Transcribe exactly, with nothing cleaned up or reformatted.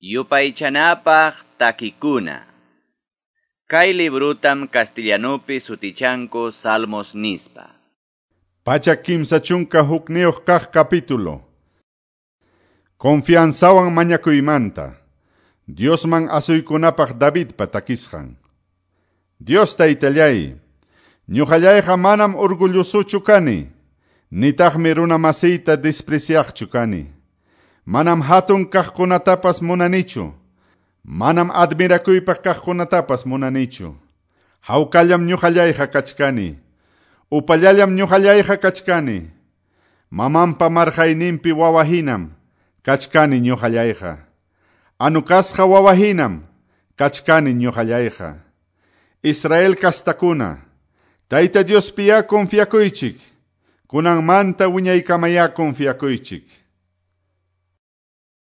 Yupaychanapaq takikuna. Kay librutam castellanupi sutichanku Salmos nispa. Pachak kimsa chunka hukniyuq kaq capítulo. Confianzawan mañakuymanta. Diosman asuykunapaq Davidpa takisqan. Dios taytallay, ñuqallayqa manam orgullosochu kani, nitaqmi runa masiyta despreciaqchu kani. Manam hatun kaqkunatapas munanichu, manam admirakuypaq kaqkunatapas munanichu. Hawkallam ñuqallayqa kachkani, upallallam ñuqallayqa kachkani. Mamanpa marqayninpi wawahinam kachkani ñuqallayqa. Anukasqa wawahinam kachkani ñuqallayqa. Israel kastakuna, Tayta Diospiya confiakuychik, kunanmanta wiñaykamaya confiakuychik.